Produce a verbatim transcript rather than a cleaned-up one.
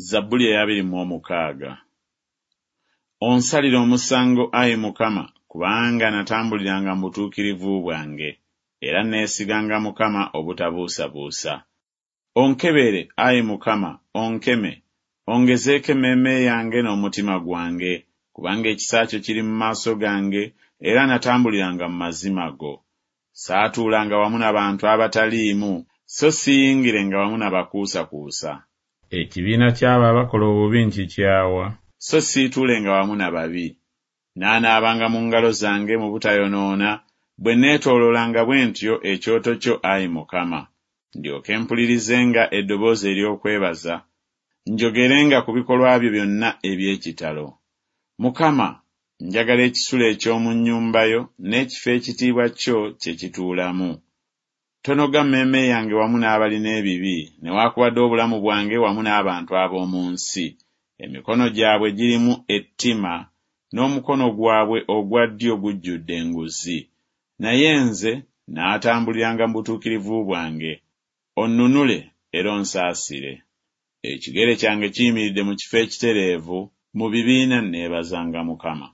Zabbuli ey'abiri mu omukaaga. Onsalire omusango, ayi Mukama, kubanga natambuliranga mu butuukirivu bwange, era neesiganga Mukama obutabuusabuusa. Onkebere, ayi Mukama, onkeme, ongezeeko emmeeme yange n'omutima gwange, kubanga ekisa kyo kiri mu maaso gange, era natambuliranga mu mazima go. Saatuulanga wamu na bantu abataliimu, so siyingirenga wamu na bakuusakuusa. Ekibiina ky'abo abakola obubi nkikyawa. So siituulenga wamu na babi. Nnaanaabanga mu ngalo zange mu butayonoona, bwe neetooloolanga bwe ntyo ekyoto kyo, ayi Mukama, ndyoke mpulirizenga eddoboozi ery'okwebaza, njogerenga ku bikolwa byo byonna eby'ekitalo. Mukama, njagala ekisulo eky'omu nnyumba yo, n'ekifo ekitiibwa kyo kye kituulamu. Tonoga mmeeme yange wamu n'abalina ebibi, newaakubadde obulamu bwange wamu n'abantu ab'omu nsi. Emikono gyabwe girimu ettima, n'omukono gwabwe ogwa ddyo gujjudde enguzi. Naye nze naatambuliranga mu butuukirivu bwange. Onnunule era onsaasire. Ekigere kyange kiyimiridde mu kifo ekitereevu, mu bibiina nneebazanga Mukama.